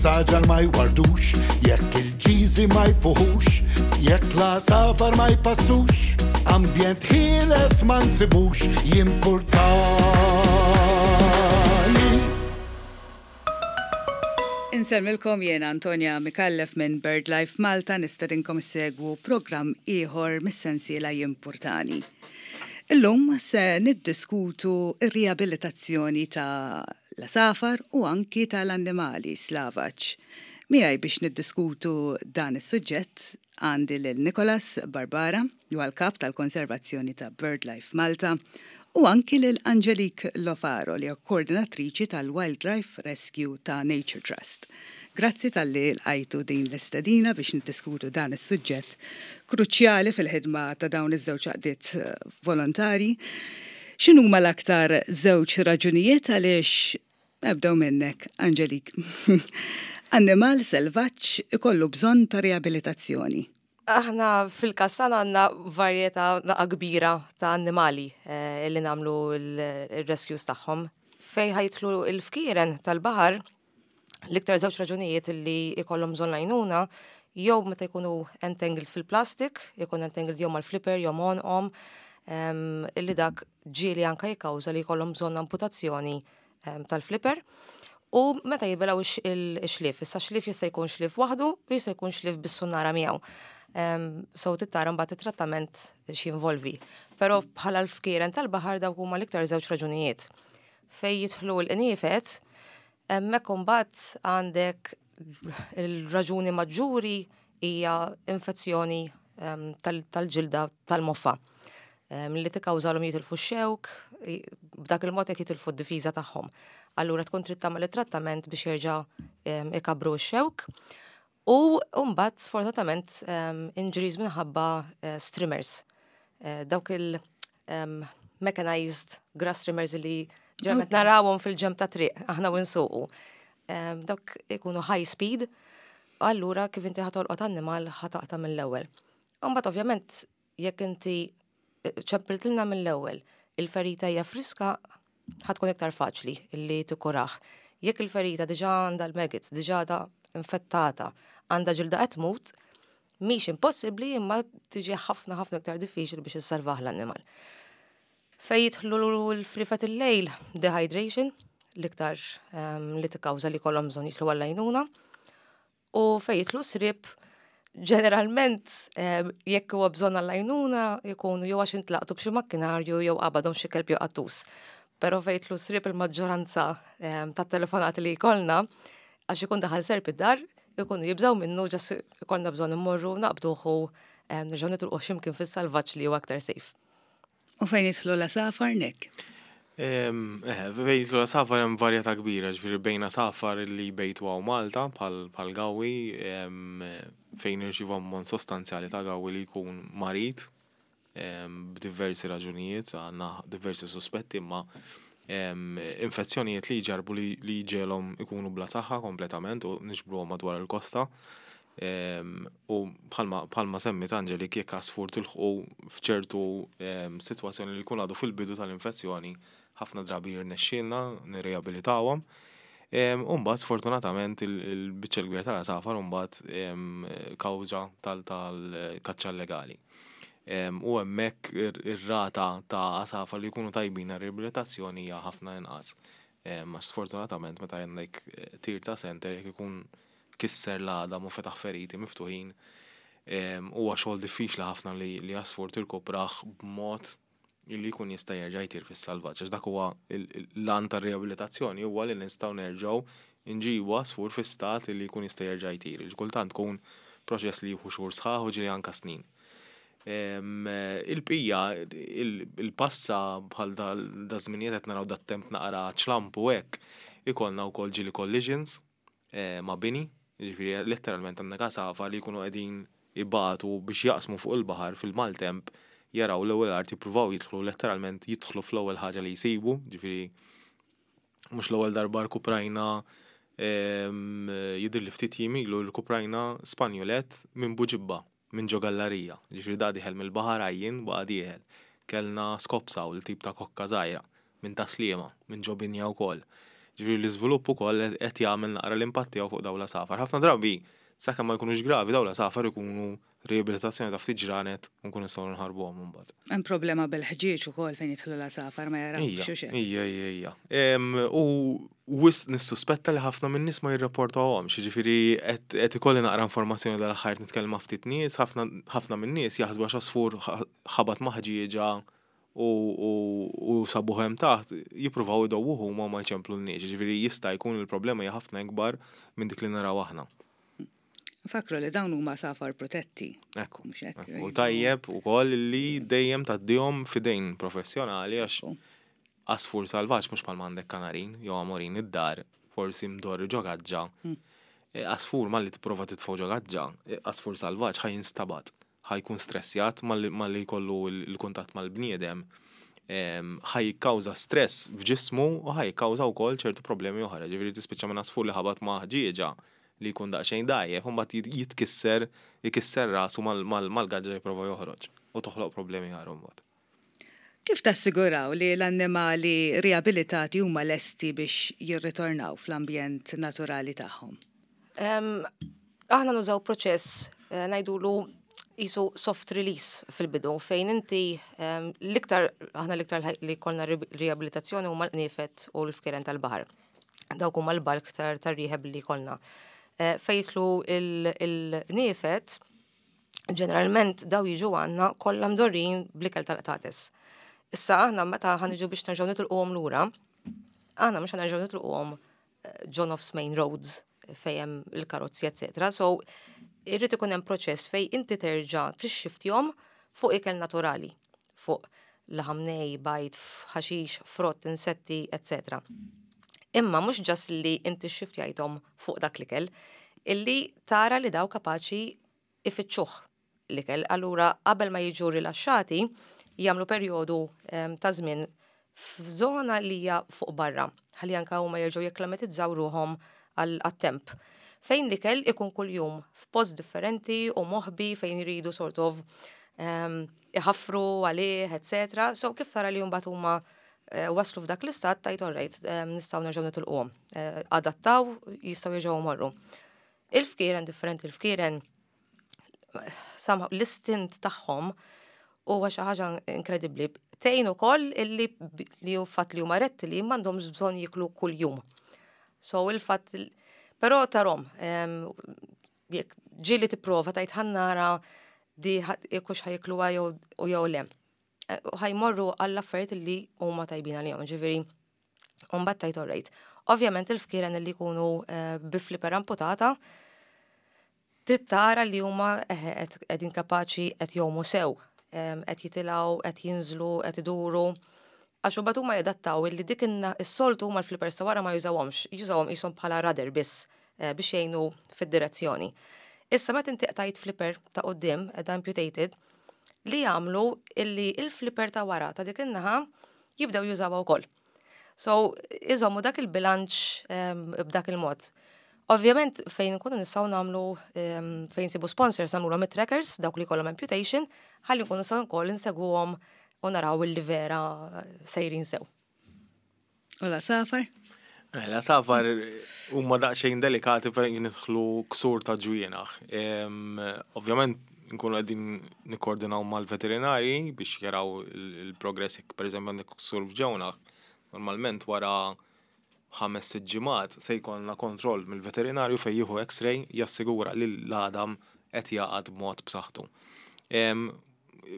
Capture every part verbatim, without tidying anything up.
Is-saġar ma jwardux, jekk il-ġiżi ma jfuħux, jekk l-għasafar ma jpassux, ambjent ħieles ma nsibux, jimpurtani. Insellmilkom, jiena Antonia Micallef minn BirdLife Malta, nistedinkom issegwu programm ieħor mis-sensiela Jimpurtani. Illum se niddiskutu ir-riabilitazzjoni ta' l-għasafar u anki tal-annimali slavaġ. Miegħi biex niddiskutu dan is-suġġett għandi lil Nicholas Barbara, ju kap tal-konservazzjoni ta' BirdLife Malta, u anki lil Angelique Lofaro, li hija koordinatriċi tal-Wildlife Rescue ta' Nature Trust. Grazzi talli lqajtu din l-istedina biex niddiskutu dan is-suġġett kruċjali fil-ħidma ta' dawn iż-żewġ għaqdiet eh, volontari. X'inhuma l-aktar żewġ raġunijiet għaliex, nibdew minnek, Angelique, annimal selvaġġ ikollu bżonn ta' riabilitazzjoni? Aħna fil-każ tagħna għandna varjetà naqa kbira ta' annimali eh, li nagħmlu il-rescues tagħhom. Fejn ħa jidħlu il-fkieren tal-baħar, l-iktar żewġ raġunijiet li ikollhom bżonn għajnuna jew meta jkunu entangled fil-plastik, jkun entangled jew mal-flipper jew m'għonqhom, illi dak ġieli anka jikkawża li jkollhom bżonn amputazzjoni tal-flipper. U meta jibilgħu ix-xlief, issa xlief jista' jkun xlief waħdu u jista' jkun xlief bis-sunnara miegħu. So trid tara mbagħad it-trattament x'jinvolvi. Però bħala l-fkieren tal-baħar dawk huma l-iktar żewġ raġunijiet. Fejn jidħlu l-qniefed, hemmhekk imbagħad għandek il-raġuni maġġuri hija infezzjoni tal-ġilda tal-moffa li tikkawżalhom jitilfu x-xewk, b'dak il-mod qed jitilfu d-difiża tagħhom. Allura tkun trid tagħmel it-trattament biex jerġa' ikabru x-xewk. U mbagħad sfortunatament injuries minħabba eh, strimmers. Eh, dawk il- mechanized grass trimmers li ġeneralment narawhom fil-ġenb ta' triq aħna u nsuqu. Dawk ikunu high speed, allura kif inti ħa tolqot annimal ħa taqta' mill-ewwel. Mbagħad ovvjament jekk inti ċempiltilna mill-ewwel, il-ferita hija friska, ħa tkun iktar faċli illi tikkurah. Jekk il-ferita diġà għandha l-maggots, diġà għadha infettata, għandha ġilda qed tmut, mhix impossibbli imma tiġi ħafna ħafna iktar diffiċli biex issalvah l-annimal. Fejn jidħlu l-friefet il-lejl, dehydration, l-iktar um, li tikkawża li kollhom bżonn jidħlu għall-għajnuna. U fejn jidħlu sriep, ġeneralment jekk huwa bżonn għall-għajnuna jkunu jew għax intlaqtu b'xi makkinarju jew qabadhom xi kelb jew qattus. Però fejn jidħlu sriep, il-maġġoranza tat-telefonati li jkollna għax ikun daħal serp id-dar, ikunu jibżaw minnu, ġas ikollna bżonn immorru naqbduh u nerġgħu nitilqu x'imkien fis-salvaġġ li huwa aktar safe. U fejn jidħlu l-għasafar, Nick? Eh, fejn jidħlu l-għasafar hemm varjetà kbira, ġifieri bejn għasafar li jbejtu hawn Malta bħal gawwi, fejn nirċievu ammont sostanzjali ta' gawwi li jkun marid b'diversi raġunijiet, għandna diversi suspetti, imma infezzjonijiet li jġarbu li jġegħelhom ikunu bla saħħa kompletament u niġbruhom madwar il-kosta. U bħalma semmiet Angelique, jekk għasfur tilħqu f'ċertu sitwazzjoni li jkun għadu fil-bidu tal-infezzjoni, ħafna drabi jirnexxielna nirriabilitawhom. U mbagħad sfortunatament il-biċċa l-kbira tal-għasafar mbagħad kawża tal-kaċċa illegali. U hemmhekk ir-rata ta' għasafar li jkunu tajbin għar-riabilitazzjoni hija ħafna inqas. Għax sfortunatament meta għandek tir ta' senter, jekk ikun kisser l-għadam u fetaħ feriti miftuħin, huwa xogħol diffiċli ħafna li għasfur tirkuprah b'mod li jkun jista' jerġa' jtir fis-salvaġġ. Għax dak huwa l-għan tar-riabilitazzjoni, huwa li nistgħu nerġgħu nġibu għasfur fi stat li jkun jista' jerġa' jtir. Kultant tkun proċess li jieħu xhur sħaħ u ġieli anka snin. Il-bqija, il-passa bħal da żminijiet qed naraw dat-temp naqra ċlampu hekk, ikollna wkoll ġieli collisions ma' bini, jiġifieri letteralment għandna għasafar li jkunu qegħdin ibatu biex jaqsmu fuq il-baħar fil-maltemp, jaraw l-ewwel art, jippruvaw jidħlu, letteralment jidħlu fl-ewwel ħaġa li jsibu, ġifieri mhux l-ewwel darba rkuprajna, jidhirli ftit jiem ilu rkuprajna Spanjolet minn Buġibba, minn ġo gallarija, ġifieri da dieħel mill-baħar għajjien baqa' dieħel. Kellna scops owl, tip ta' kokka żgħira, minn Tas-Sliema, minn ġo binja wkoll. Ġifieri l-iżvilupp ukoll qed jagħmel naqra l-impatt tiegħu fuq dawn l-għasafar. Ħafna drabi, sakemm ma jkunux gravi, dawn l-għasafar ikunu riabilitazzjoni ta' ftit ġranet u nkunu nistgħu nħarbuhom imbagħad. Hemm problema bil-ħġieġ ukoll fejn jidħlu l-għasafar, ma jarawx xi. Ija, ija, ija. U wisq nissuspetta li ħafna minn nies ma jirrapportawhomx, jiġifieri qed ikolli naqra informazzjoni dal-aħħar, nitkellem ma' ftit nies, ħafna minn nies jaħsbu għax għasfur ħabat ma' ħġieġa u sabuh hemm taħt, jippruvaw idewwuh huma, ma jċemplulniex, jiġifieri jista' jkun il-problema hija ħafna ikbar minn dik li naraw aħna. Fakru li dawn huma għasafar protetti. Ekku. U tajjeb ukoll li dejjem tgħaddihom f'idejn professjonali, għax għasfur salvaġġ mhux bħal għandek kanarin jew amorin id-dar, forsi mdorri ġo gaġġa. Hmm. E, għasfur malli tipprova titfgħu ġo gaġġa, e, għasfur salvaġġ ħa jinstabat, ħa jkun stressjat malli jkollu l-kuntatt mal-bniedem, ħa jikkawża stress f'ġismu u ħa jikkawża wkoll ċertu problemi oħra. Ġifieri tispiċċa minn għasfur li ħabat ma' ħġieġa li jkun daqsxejn dgħajjef, u mbagħad jitkisser, jikisser rasu mal-gaġġa jipprova joħroġ u toħloq problemi oħra mbagħad. Kif tassiguraw li l-annimali riabilitati huma lesti biex jirritornaw fl-ambjent naturali tagħhom? Aħna nużaw proċess eh, ngħidulu qisu soft release fil-bidu, fejn inti l-iktar, aħna l-iktar li kellna riabilitazzjoni huma l-qniefed u l-fkieren tal-baħar. Dawk huma l-bulk tar-rehab li kellna. Eh, fejn jidħlu il-qniefed, ġeneralment daw jiġu għandna kollha mdorrijin bl-ikel tal-qtates. Issa aħna meta ħa niġu biex nerġgħu nitilquhom lura, aħna mhux ħa nerġgħu nitilquhom eh, ġo nofs main roads fejn hemm il-karozzi, eccetera. So, irrid ikun hemm proċess fej inti terġa' tixxiftjhom fuq ikel naturali, fuq laħam nej, bajd, ħaxix, frott, insetti, eccetera. Imma mhux just li inti xiftjajthom fuq dak l-ikel, illi tara li daw kapaċi ifittxuh l-ikel. Allura qabel ma jiġu rilaxxati, jagħmlu perjodu ta' żmien f'żona li hija fuq barra, ħalli anka huma jerġgħu jekklimatizzaw ruħhom għat-temp. Fejn l-ikel ikun kuljum f'post differenti u moħbi fejn jridu sort of iħaffru għalih, eccetera. So kif tara li mbagħad huma eh, waslu f'dak l-istat, tgħid, "Alright, nistgħu nerġgħu nitilquhom." Eh, adattaw, jistgħu jerġgħu morru. Il-fkieren differenti, il-fkieren somehow l-istint tagħhom huwa xi ħaġa inkredibbli. Tgħin ukoll illi li hu fatt li huma rettili, m'għandhomx bżonn jiklu kuljum. So il-fatt, però tarahom, jekk ġieli tipprova tgħid, "Ħa nara di jekk ħa jikluha jew jew le." Eh, ħa jmorru għall-affarijiet li huma tajbin għalihom, ġifieri mbagħad tgħid, "Alright." Ovvjament il-fkieren li jkunu eh, bi flipper amputata, trid tara li huma qegħdin kapaċi qed jgħumu sew, qed jitilgħu, qed jinżlu, qed iduru. Għax imbagħad huma jadattaw illi dik is-soltu huma l-flippers wara ma jużawhomx, jużawhom qishom bħala rudder biss eh, biex jgħinu fid-direzzjoni. Issa meta inti qtajt flipper ta' quddiem, qiegħda amputated, li jagħmlu illi il-flipper ta' wara ta' dik in-naħa jibdew jużawha wkoll. So, iżommu dak il-bilanċ b'dak il-mod. Ovvjament, fejn nkunu nistgħu nagħmlu, fejn nsibu sponsors, nagħmlu trackers, dawk li kollhom amputation, ħalli nkunu nistgħu wkoll insegwuhom u naraw illi vera sejrin sew. U l-għasafar? Eh, l-għasafar huma daqsxejn delikati fejn jidħlu ksur ta' ġwienaħ. Ovvjament nkunu qegħdin nikkoordinaw mal-veterinari biex jaraw il-progress jekk, pereżempju, għandek ksur f'ġewnaħ. Normalment wara ħames sitt ġimgħat se jkollna kontroll mill-veterinarju fejn jieħu X-ray, jassigura li l-għadam qed jagħqad b'mod b'saħħtu.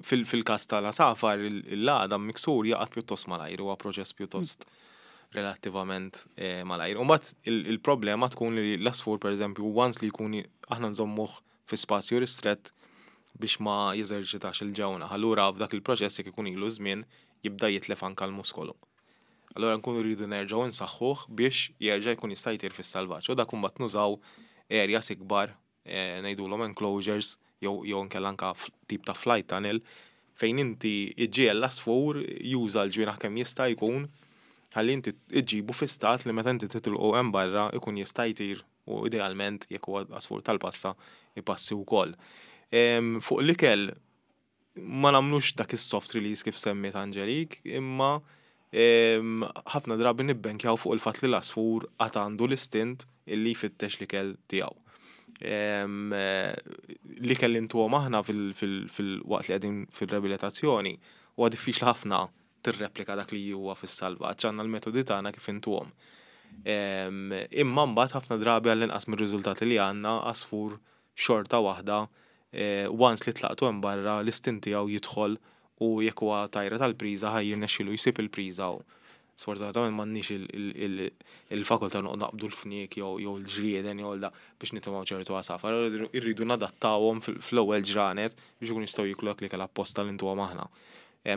Fil-każ tal-għasafar, l-għadam miksur jagħqad pjuttost malajr, huwa proċess pjuttost relattivament eh, malajr. U mbagħad il-problema tkun li l-għasfur, pereżempju, once li jkun, aħna nżommuh fi spazju ristrett biex ma jeżerċitax il-ġewnaħ. Allura f'dak il-proċess, jekk ikun ilu żmien, jibda jitlef anka l-muskolu. Allura nkunu rridu nerġgħu nsaħħuh biex jerġa' jkun jista' jtir fis-salvaġġ. U dak imbagħad nużaw areas ikbar, eh, ngħidulhom enclosures jew jew inkella anka tip ta' flight tunnel fejn inti iġġiegħel l-għasfur juża l-ġwienaħ kemm jista' jkun, ħalli inti iġġibu fi stat li meta inti titilqu hemm barra ikun jista' jtir u idealment, jekk huwa għasfur tal-passa, ipassi wkoll. Fuq l-ikel ma nagħmlux dak is-soft release kif semmiet Angelique, imma Ħafna drabi nibbenkjaw fuq il-fatt li l-għasfur għad għandu l-istint illi jfittex l-ikel tiegħu. L-ikel li ntuhom aħna fil-waqt li qegħdin fil-riabilitazzjoni huwa diffiċli ħafna tirreplika dak li huwa fis-salvaġġ, għandna l-metodi tagħna kif intuhom. Imma mbagħad ħafna drabi, għall-inqas mir-riżultati li għandna, għasfur xorta waħda, once li tlaqtu hemm barra, l-istint tiegħu jidħol u jekk huwa tajra tal-priża ħa jirnexxilu jsib il-priża. U sfortunatament m'għandniex il-fakultà noqgħod naqbdu l-fniek jew l-ġrieden jew da biex nitimgħu ċertu għasafar. Irridu nadattawhom fl-ewwel ġranet biex ikun jistgħu jiklu dak l-ikel apposta li ntuhom aħna.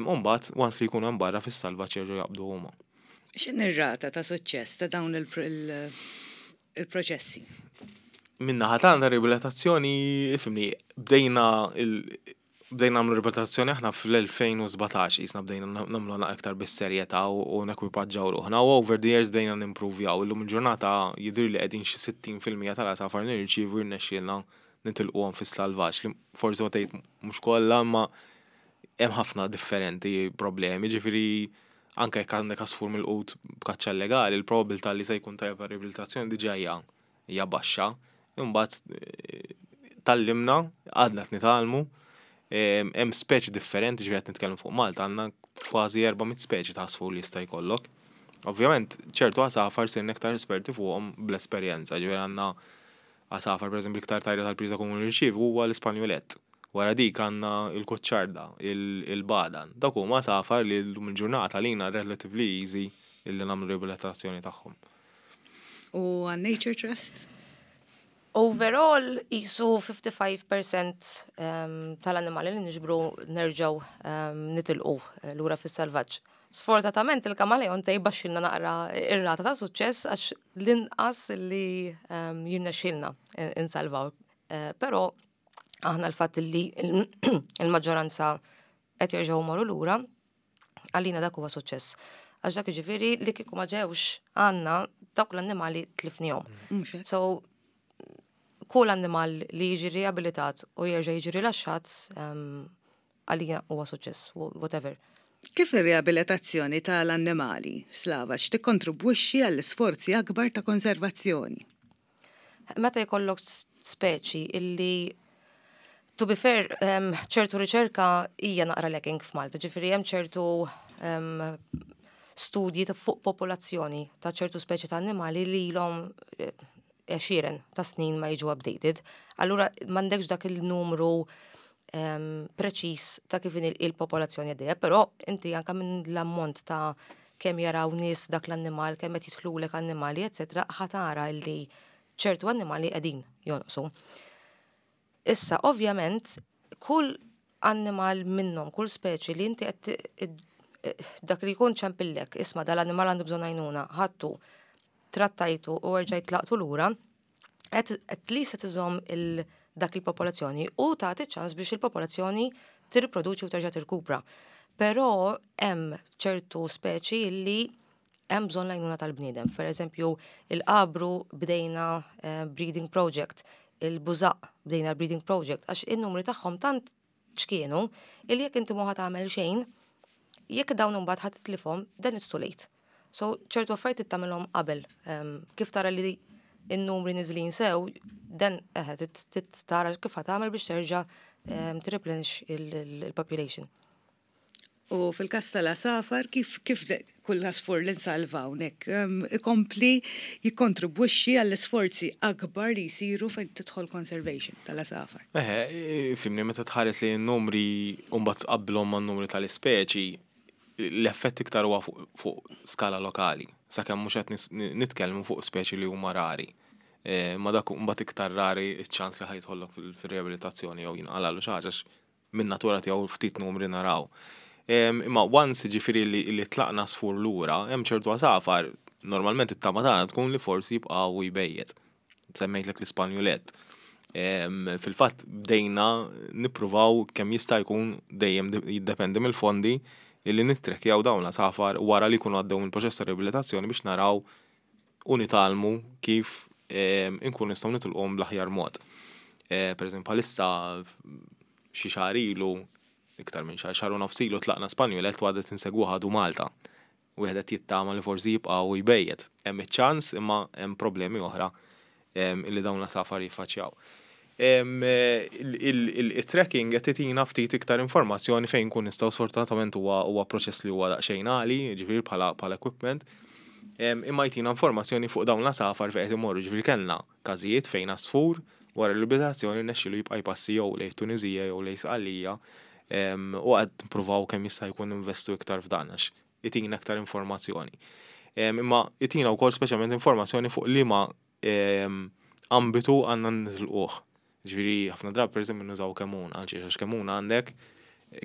U mbagħad once li jkunu hemm barra fis-salvaġġ jerġgħu jaqbdu huma. X'inhi r-rata ta' suċċess ta' dawn il-proċessi? Min-naħa tagħna riabilitazzjoni, ifhimni, bdejna bdejna nagħmlu riabilitazzjoni aħna fl-elfejn u sbatax, jisna bdejna nagħmlu aktar bis-serjetà u nekwipaġġaw ruħna u over the years bdejna nimprovjaw. Illum il-ġurnata jidher li qegħdin xi sittin fil-mija tal-għasafar nirċievu jirnexxielna nitilquhom fis-salvaġġ, li forsi ma tgħid mhux kollha, imma hemm ħafna differenti problemi, ġifieri anke jekk għandek għasfur milqut b'kaċċa illegali, il-probabilità li se jkun tajjeb riabilitazzjoni diġà hija hija baxxa. Imbagħad tgħallimna, għadna qed nitgħallmu, hemm speċi differenti, ġifieri qed nitkellmu fuq Malta, għandna kważi erba' mitt speċi ta' għasfur li jista' jkollok. Ovvjament, ċertu għasafar sirna iktar esperti fuqhom bl-esperjenza, ġifieri għandna għasafar, pereżempju, iktar tajra tal-priża komuni nirċievu huwa l-Ispanjolett. Wara dik għandna il-kuċċarda, il-badan. Dak huma għasafar li llum il-ġurnata lina relatively easy illi nagħmlu riabilitazzjoni tagħhom. U għan Nature Trust? Overall, jisu ħamsa u ħamsin fil-mija um, tal-annimali li niġbru nerġaw um, nitilqu eh, lura fis-salvaġġ. Sfortunatament il-kamaleon tejbaxxilna naqra ir-rata ta' suċċess għax l-inqas li um, jirnexxilna insalvaw. Uh, Però aħna l-fatt li il-maġġoranza qed jerġgħu morru lura, għalina dak huwa suċċess. Għax dak jiġifieri li kieku ma ġewx għandna, dawk l-annimali tlifnihom. So kull annimal li jiġi riabilitat u jerġa' jiġi rilaxxat għalina huwa suċċess, whatever. Kif ir-riabilitazzjoni tal-annimali slavaġ tikkontribwixxi għall-isforzi akbar ta' konservazzjoni? Meta jkollok speċi illi, to be fair, ċertu riċerka hija naqra lacking f'Malta, ġifieri hemm ċertu studji ta' fuq popolazzjoni ta' ċertu speċi ta' annimali li ilhom eh, għexieren ta' snin ma jiġu updated. Allura m'għandekx dak il-numru um, preċis ta' kif il-popolazzjoni għaddejja, però inti anka minn l-ammont ta' kemm jaraw nies dak l-annimal, kemm qed jidħlulek annimali, eċetera, ħa tara li ċertu annimali qegħdin jonqsu. Issa, ovvjament, kull annimal minnhom, kull speċi li inti qed dak li jkun ċempillek, "Isma', dal-annimal għandu bżonn għajnuna," ħadtu, trattajtu u rġajt tlaqtu lura, at least qed iżomm il dak il-popolazzjoni u tagħti ċans biex il-popolazzjoni tirriproduċi u terġa' tirkupra. Però hemm ċertu speċi li hemm bżonn l-għajnuna tal-bniedem. Per eżempju, il-qabru bdejna eh, breeding project, il-bużaq bdejna breeding project, għax in-numri tagħhom tant ċkienu illi jekk inti mhu tagħmel xejn, jekk dawn imbagħad ħadd titlifhom, then it's too late. So ċertu affarijiet tagħmilhom qabel. Kif tara li in-numri niżlin sew, then eħe tara kif tagħmel biex terġa' t-replenish il-population. U fil-kas tal-għasafar, kif, kif kull għasfur li nsalvaw nek, ikompli jikkontribwixxi għall-isforzi akbar li jisiru fejn tidħol conservation tal-għasafar? Eħe, fhimni, meta tħares li n-numri u mbagħad tqabblhom man-numri tal-ispeċi, l-effett iktar huwa fuq skala lokali, sakemm mhux qed nitkellmu fuq speċi li huma rari. E, ma dak mbagħad iktar rari ċ-ċans li ħa jidħollok fil-riabilitazzjoni jew jinqalalu xi ħaġa, minn natura tiegħu ftit numri naraw. Imma once ġifieri li, li tlaqna għasfur lura, hemm ċertu għasafar, normalment it-tama tagħna tkun li forsi jibqgħu jbejjet. Semmejtlek l-Ispanjulett. Fil-fatt bdejna nippruvaw kemm jista' jkun, dejjem jiddependi mill-fondi, illi nittrekkjaw dawn l-għasafar wara li jkunu għaddew mill-proċess ta' riabilitazzjoni biex naraw u nitgħallmu kif inkun nistgħu nitilqhom bl-aħjar mod. E, per eżempju, bħalissa xi xahar ilu, iktar minn xahar, xahar u nofs ilu tlaqna Spanjulett u għadna insegwu għadu Malta. Wieħed qed jittama li forsi jibqa' u jbejjet. Hemm iċ-ċans, imma hemm problemi oħra illi dawn l-għasafar jiffaċċjaw. Il-tracking qed itina ftit iktar informazzjoni fejn kun nistgħu. Sfortunatament huwa huwa proċess li huwa daqsxejn għali, ġifieri bħala bħala equipment. Imma jtina informazzjoni fuq dawn l-għasafar fejn qed imorru. Ġifieri kellna każijiet fejn għasfur wara l-riabilitazzjoni rnexxielu jibqa' jpassi jew lejn Tuniżija jew lejn Sqallija, u qed nippruvaw kemm jista' jkun investu iktar f'dan għax itina iktar informazzjoni. Imma itina wkoll speċjalment informazzjoni fuq liema ambitu għandna niżilquh. Ġifieri ħafna drabi, pereżempju, nużaw Kemmuna, għaliex għax Kemmuna għandek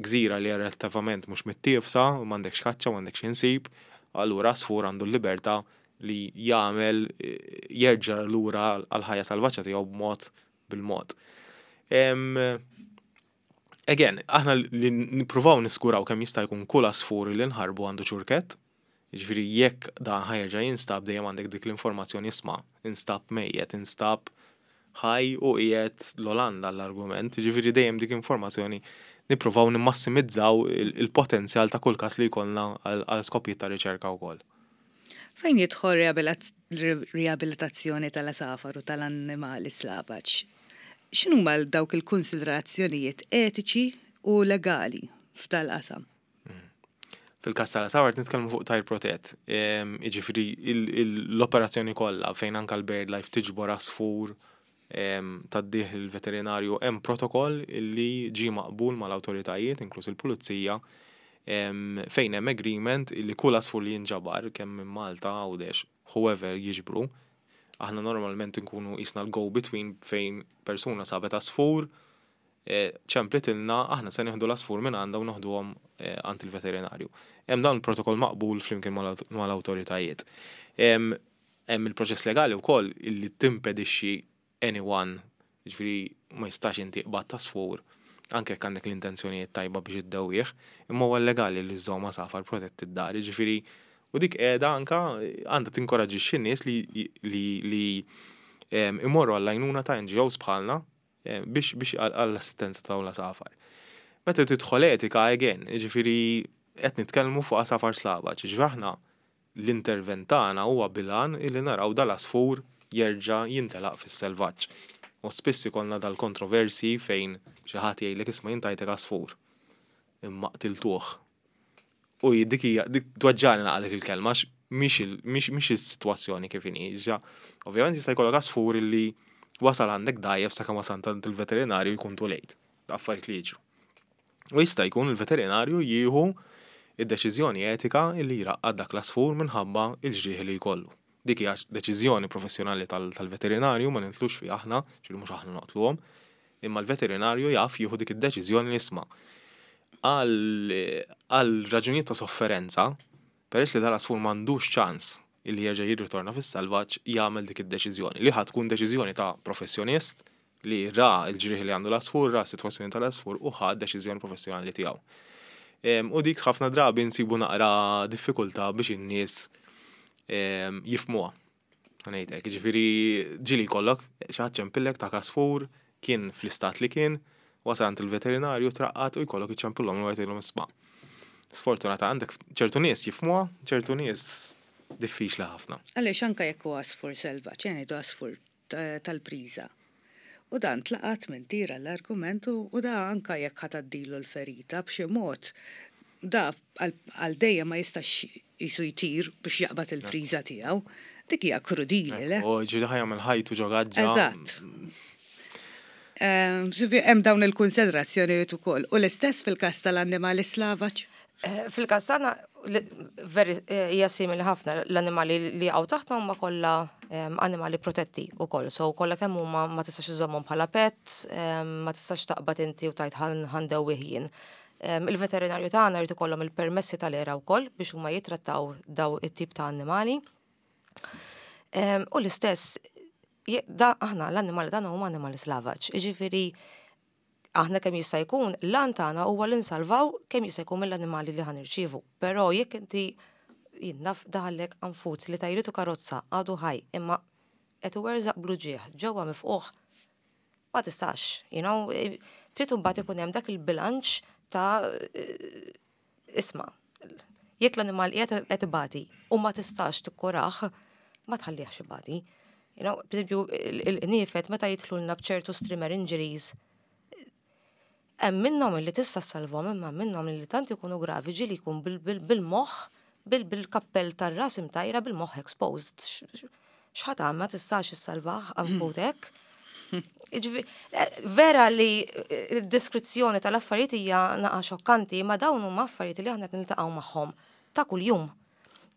gżira li relattivament mhux mittiefsa, m'għandekx kaċċa, m'għandekx insib, allura għasfur għandu l-libertà li jagħmel jerġa' lura għal-ħajja salvaġġa tiegħu b'mod bil-mod. Again, aħna li nippruvaw niskuraw kemm jista' jkun kull għasfur li nħarbu għandu ċurkett, ġifieri jekk dan ħa jerġa' jinstab, dejjem għandek dik l-informazzjoni: isma', instab mejjet, instab ħaj u qiegħed l-Olanda l-argument, ġifieri dejjem dik informazzjoni nippruvaw nimmassimizzaw il-potenzjal ta' kull każ li jkollna għal skopijiet ta' riċerka wkoll. Fejn jidħol riabilitazzjoni tal-għasafar u tal-annimali slavaġ, x'inhuma dawk il-konsiderazzjonijiet etiċi u legali f'dal-qasam? Fil-każ tal-għasafar nitkellmu fuq tajr protett. Jiġifieri l-operazzjoni kollha fejn anka l-BirdLife tiġbor għasfur, tgħaddih il-veterinarju, hemm protokoll illi ġi maqbul mal-awtoritajiet, inkluż il-pulizija, fejn hemm agreement illi kull għasfur li jinġabar, kemm minn Malta, Għawdex, whoever jiġbru, aħna normalment nkunu qisna l-go between fejn persuna sabet għasfur, ċemplitilna, aħna se nieħdu l-għasfur minn għandha u noħduhom għand il-veterinarju. Hemm dan il-protokoll maqbul flimkien mal-awtoritajiet. Hemm il-proċess legali wkoll illi timpedixxi anyone, ġifieri ma jistax inti qbadt għasfur, anke jekk għandek l-intenzjonijiet tajba biex iddewwih, imma huwa legali li żżomm għasafar protetti d-dar, ġifieri u dik qiegħda anka għandha tinkoraġixxi n-nies li li li imorru għall-għajnuna ta' N G Os bħalna biex biex għall-assistenza ta' l-għasafar. Meta tidħol etika, again, ġifieri qed nitkellmu fuq għasafar slavaġ, ġifieri aħna l-intervent tagħna huwa bil-għan illi naraw dal-għasfur jerġa' jintelaq fis-selvaġġ. U spiss ikollna dal-kontroversi fejn xi ħadd jgħidlek: "Isma', jien tajtek għasfur, imma qtiltuh." U dik hija dik tweġġagħni naqra dik il-kelma għax mhix mhix is-sitwazzjoni kif inhi. Ġa, ovvjament jista' jkollok għasfur illi wasal għandek dgħajjef, sakemm wasal għand il-veterinarju jkun too late. Affarijiet li jiġru. U jista' jkun il-veterinarju jieħu id-deċiżjoni etika illi jraqqad dak l-għasfur minħabba il-ġrieħi li jkollu. Dik hija deċiżjoni professjonali tal-veterinarju, ma nidħlux fiha aħna, ġifieri mhux aħna noqtluhom, imma l-veterinarju jaf jieħu dik id-deċiżjoni li, isma', għal raġunijiet ta' sofferenza, peress li dal-għasfur m'għandux ċans illi jerġa' jirritorna fis-selvaġġ, jagħmel dik id-deċiżjoni. Li ħa tkun deċiżjoni ta' professjonist li ra l-ġrieħi li għandu l-għasfur, ra s-sitwazzjoni tal-għasfur u ħa deċiżjoni professjonali tiegħu. U dik ħafna drabi nsibu naqra diffikultà biex in-nies jifhmuha. Ngħidlek, ġifieri ġieli jkollok xi ħadd ċempillek ta' għasfur, kien fl-istat li kien, wasal għand il-veterinarju, traqqat, u jkollok iċċempillhom u jgħidilhom: "Isma'." Sfortunata għandek ċertu nies jifhmuha, ċertu nies diffiċli ħafna. Għaliex anka jekk huwa għasfur selvaġġ, ngħidu għasfur tal-priża. U dan tlaqat minn tira l-argument u da anka jekk ħa tgħaddilu l-ferita b'xi mod, da għal dejjem ma jistax jisu jtir biex jaqbad il-priża tiegħu. Dik hija krudili, le? U ġieli ħa jagħmel ħajtu ġo gaġġa. Eżatt. Hemm dawn il-konsiderazzjonijiet ukoll. U l-istess fil-każ tal-annimali slavaġ? Eh, fil-każ tagħna veri eh, hija simili ħafna. L-annimali li hawn taħt huma kollha annimali protetti wkoll. So kollha kemm huma ma tistax iżommhom bħala pet, ma tistax taqbad inti u tgħid ħa ndewwih jien. Il-veterinarju tagħna jrid ikollhom il-permessi tal-ERA wkoll biex huma jitrattaw daw it-tip ta' annimali. U l-istess, da aħna l-annimali tagħna huma annimali slavaġ. Jiġifieri aħna kemm jista' jkun l-għan tagħna huwa li nsalvaw kemm jista' jkun mill-annimali li ħa nirċievu. Però jekk inti, jien naf, daħallek qanfud li tajritu karozza, għadu ħaj, imma qed iwerżaq bl-uġigħ ġewwa mifqugħ, ma tistax, you know, trid imbagħad ikun hemm dak il-bilanċ ta' isma', Jekk l-animal qiegħed qed ibati u ma tistax tikkurah, ma tħallihx ibati. You know, per eżempju, il-qniefed meta jidħlulna b'ċertu strimmer injuries, hemm minnhom li tista' ssalvhom, imma minnhom li tant ikunu gravi, ġieli jkun bil-moħħ, bil-kappell tar-ras imtajra, bil-moħħ exposed. X'ħa tagħmel? Ma tistax issalvah anfutek. Vera li d-deskrizzjoni tal-affarijiet hija naqa xokkanti, ma dawn huma affarijiet li aħna qed niltaqgħu magħhom ta' kuljum.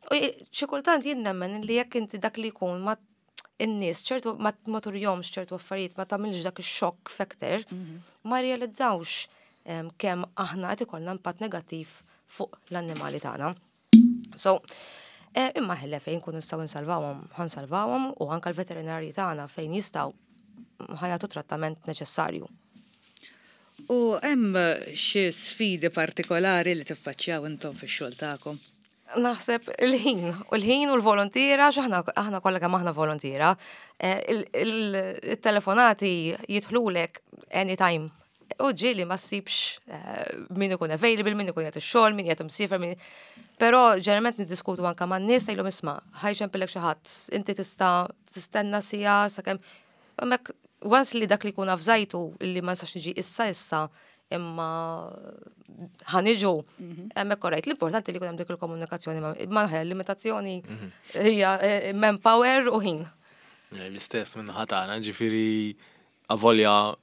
U xi kultant jien nemmen li jekk inti dak li jkun ma in-nies ċertu ma turihomx ċertu affarijiet, ma tagħmilx dak ix-shock factor, ma realizzawx kemm aħna qed ikollna impatt negattiv fuq l-annimali tagħna. So, eh, imma ħelle fejn kun nistgħu nsalvawhom, ħa nsalvawhom u anke l-veterinarji tagħna fejn jistgħu ħa jagħtu trattament neċessarju. U hemm xi sfidi partikolari li tiffaċċjaw intom fix-xogħol tagħkom? Naħseb il-ħin, u l-ħin u l-volontiera, x'aħna aħna kollha kemm aħna volontiera, eh, il-telefonati jidħlulek anytime. U ġieli ma ssibx eh, min ikun available, min ikun qiegħed ix-xogħol, min qiegħed imsiefer, min. Però ġeneralment niddiskutu anka man-nies, ngħidilhom, "Isma', ħa jċempillek xi ħadd, inti tista' tistenna siegħa sakemm hemmhekk." Once li dak li jkun avżajtu li ma nistax niġi issa issa imma ħa niġu, hemmhekk korrejt. L-importanti li jkun hemm dik il-komunikazzjoni ma limitazzjoni hija eh, manpower u ħin. L-istess minn ħatana, ġifieri avolja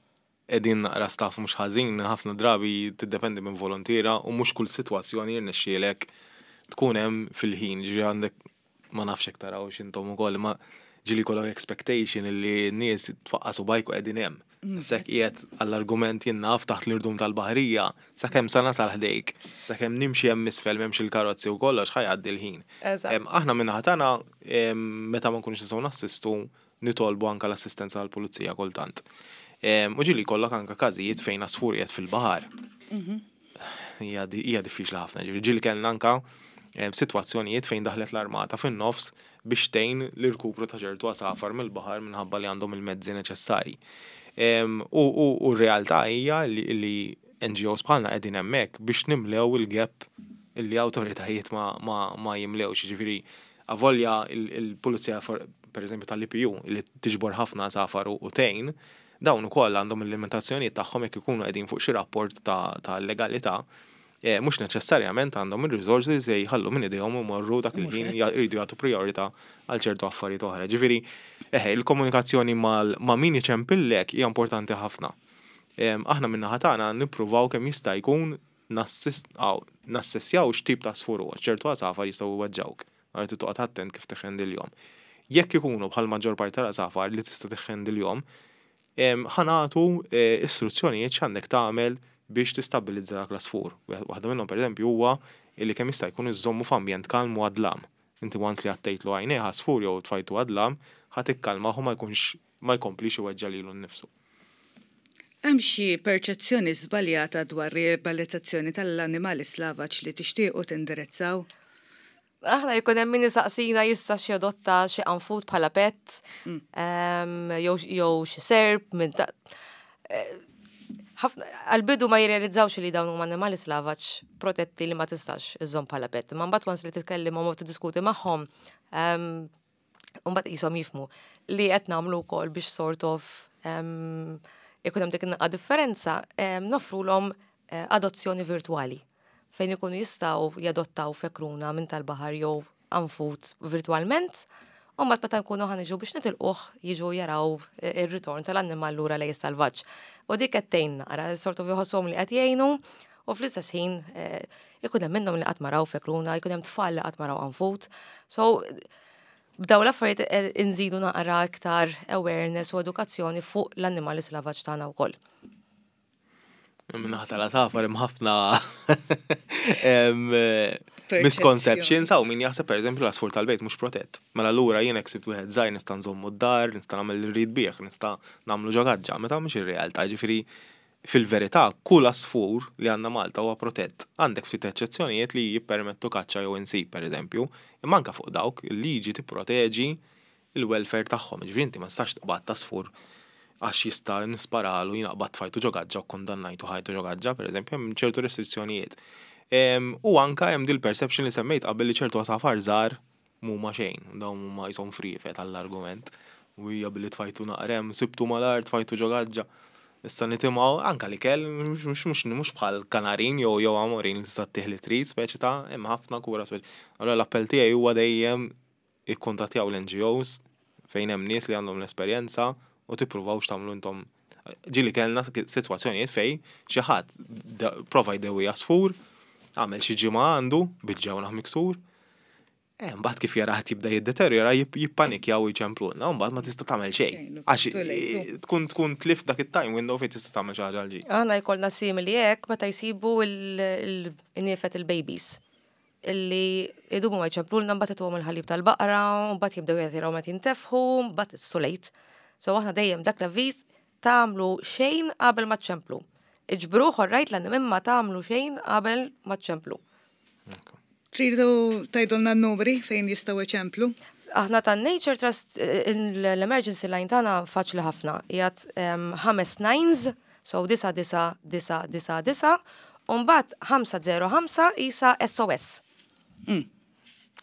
qegħdin naqra staff mhux ħażin, ħafna drabi tiddependi minn volontiera u mhux kull sitwazzjoni jirnexxielek tkun hemm fil-ħin, ġifieri għandek, ma nafx hekk taraw x'intom ukoll, ma ġieli kollok expectation li n-nies tfaqqas subgħajk u qegħdin hemm. Sek qiegħed għall-argument jien naf taħt l-irdum tal-baħrija, sakemm sa nasal ħdejk, sakemm nimxi hemm isfel m'hemmx il-karozzi u kollox, ħa jgħaddi l-ħin. Eżatt. Aħna minn ħatana, meta ma nkunux nistgħu nassistu, nitolbu anka l-assistenza tal-pulizija kultant. U ġieli kollok anka każijiet fejn għasfur qiegħed fil-baħar. Hija hija diffiċli ħafna. Ġieli kellna anka sitwazzjonijiet fejn daħlet l-armata fin-nofs biex tgħin l-irkupru ta' ċertu għasafar mill-baħar minħabba li għandhom il-mezzi neċessari. U r-realtà hija li N G Os bħalna qegħdin hemmhekk biex nimlew il-gap illi awtoritajiet ma, ma, ma jimlewx. Ġifieri avolja il-pulizija, per eżempju, tal-I P U li tiġbor ħafna għasafar u tgħin, dawn ukoll għandhom il-limitazzjonijiet tagħhom. Jekk ikunu qegħdin fuq xi rapport ta', ta legalità, eh, mhux neċessarjament għandhom il-resources se jħallu minn idejhom u morru dak il-ħin, jridu jagħtu priorità għal ċertu affarijiet oħra. Ġifieri, eħe, il-komunikazzjoni ma' min iċempillek hija importanti ħafna. Aħna minn naħa tagħna nippruvaw kemm jista' jkun nassessjaw x'tip ta' għasfur huwa. Ċertu għasafar jistgħu jweġġawk. Għal toqgħod attent kif tiħendilhom. Jekk ikunu bħal maġġor parti tal-għasafar li tista' tiħendilhom, ħa nagħtu eh, istruzzjonijiet x'għandek tagħmel biex tistabbilizza dak l-għasfur. Waħda minnhom, pereżempju, huwa li kemm jista' jkun iżommu f'ambjent kalm u għad-dlam. Inti once li għattejtlu għajnejh għasfur jew tfajtu għad-dlam, ħa tikkalmah u ma jkunx ma jkomplix iweġġa lilu nnifsu. Hemm xi perċezzjoni żbaljata dwar riabilitazzjoni tal-annimali slavaġ li tixtiequ tindirizzaw? Aħna jkun hemm min isaqsina jista' xi jadotta xi qanfud bħala pet, mm. jew xi serp minn ta' eh, ħafna għal-bidu ma jirrealizzawx li dawn huma annimali slavaġ protetti li ma tistax iżżomm bħala pet. Ma mbagħad once li titkellimhom u tiddiskuti magħhom, mbagħad qishom jifhmu li qed nagħmlu wkoll biex sort of ikun hemm dik naqa differenza, noffrulhom eh, adozzjoni virtuali fejn ikunu jistgħu jadottaw fekruna minn tal-baħar jew qanfud virtualment. U mbagħad meta nkunu ħa niġu biex nitilquh, jiġu jaraw ir-ritorn tal-annimal lura lejn salvaġġ. U dik qed tgħin naqra, sort of jħosshom li qed jgħinu u fl-istess ħin eh, ikun hemm minnhom li qatt ma raw fekruna, ikun hemm tfal li qatt ma raw qanfud. So b'daw l-affarijiet eh, inżidu naqra iktar awareness u edukazzjoni fuq l-annimali slavaġ tagħna wkoll. Min-naħa tal-għasafar hemm ħafna misconceptions, hawn min jaħseb, per eżempju, l-għasfur tal-bejt mhux protett. Mela allura jien hekk sibt wieħed żgħir nista' nżommu d-dar, nista' nagħmel li rrid bih, nista' nagħmlu ġo gaġġa, meta mhux ir-realtà, ġifieri fil-verità kull għasfur li għandna Malta huwa protett. Għandek ftit eċċezzjonijiet li jippermettu kaċċa jew insib, per eżempju, imma anke fuq dawk il-liġi tipproteġi il-welfare tagħhom. Ġifieri inti ma tistax tqbad għasfur għax jista' nisparalu, jiena qbad tfajtu ġo gaġġa u kondannajtu ħajtu ġo gaġġa, per eżempju, hemm ċertu restrizzjonijiet. U anka hemm dil-perception li semmejt qabel li ċertu għasafar żgħar mhuma xejn, dawn huma jisom friefet għall-argument. U hija billi tfajtu naqrem, sibtu mal-art, tfajtu ġo gaġġa. Issa nitimgħu anka li kell mhux mhux bħal kanarin jew jew amorin li tista' tih li trid, speċi ta' hemm ħafna kura speċi. Allura l-appell tiegħi huwa dejjem ikkuntattjaw l-N G Os fejn hemm nies li għandhom l-esperjenza u tippruvaw x'tagħmlu intom. Ġieli kellna sitwazzjonijiet fejn xi ħadd prova jdewwi għasfur, għamel xi ġimgħa għandu bil-ġewnaħ miksur. Eh, mbagħad kif jara ħadd jibda jiddeterjora jippanikjaw u jċemplulna, u mbagħad ma tista' tagħmel xejn. Għax tkun tkun tlift dak it-time window fejn tista' tagħmel xi ħaġa għal ġid. Aħna jkollna simili hekk meta jsibu il-niefet il-babies illi idumu ma jċemplulna, mbagħad ituhom il-ħalib tal-baqra, mbagħad jibdew jgħatiraw meta jintefħu, mbagħad it's too late. So aħna dejjem dak l-avviż, tagħmlu xejn qabel ma ċemplu. Iġbruh rajt l imma tagħmlu xejn qabel ma ċemplu. Tridu tgħidulna n-numri fejn jistgħu iċemplu? Aħna ta' Nature Trust, l-emergency line tagħna faċli ħafna. Jgħat ħames nines, so disa disa disa disa disa, u mbagħad ħamsa zero ħamsa isa S O S.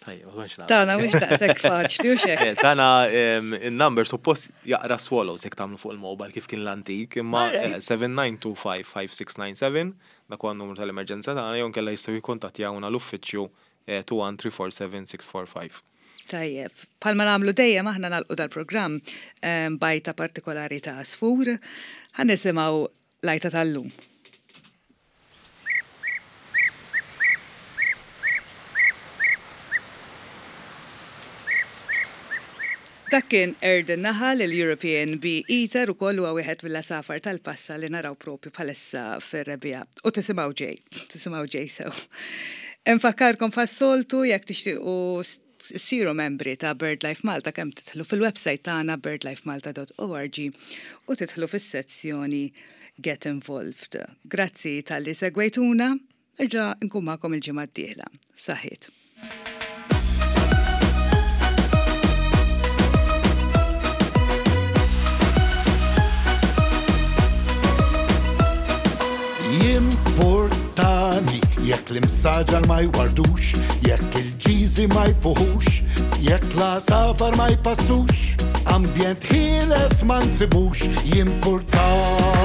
Tajjeb, ma kontx naf. Tana mhux daqshekk faċli u xek. Eh, Tana il-number suppost jaqra swallows jekk tagħmlu fuq il-mobile kif kien l-antik, imma Alright. seba' tnejn tnejn ħamsa ħamsa sitta tmena seba' dak huwa n-numru tal-emerġenza tagħna, jew inkella jistgħu jikkuntattjawna l-uffiċċju eh, tnejn wieħed tlieta erba' seba' sitta erba' ħamsa. Tajjeb, bħalma nagħmlu dejjem aħna nagħlqu dal-programm em, b'għajta partikolari ta' għasfur, ħa nisimgħu l-għajta tal-lum. Dak kien Erd in-Naħal, il-European Bee Eater, u kollu huwa wieħed mill-għasafar tal-passa li naraw propju bħalissa fir-rebbiegħa. U tisimgħu ġej, tisimgħu ġej sew. Infakkarkom bħas-soltu, jekk tixtiequ siru membri ta' BirdLife Malta, kemm tidħlu fil-website tagħna birdlifemalta punt org u tidħlu fis-sezzjoni Get Involved. Grazzi talli segwejtuna, nerġa' nkun magħkom il-ġimgħa d-dieħla. Saħħiet. Jimportani jekk l-imsaġar ma jwardux, jekk il-ġiżi ma jfuħux, jekk l-għasafar ma jpassux, ambjent ħieles ma nsibux, jimportani.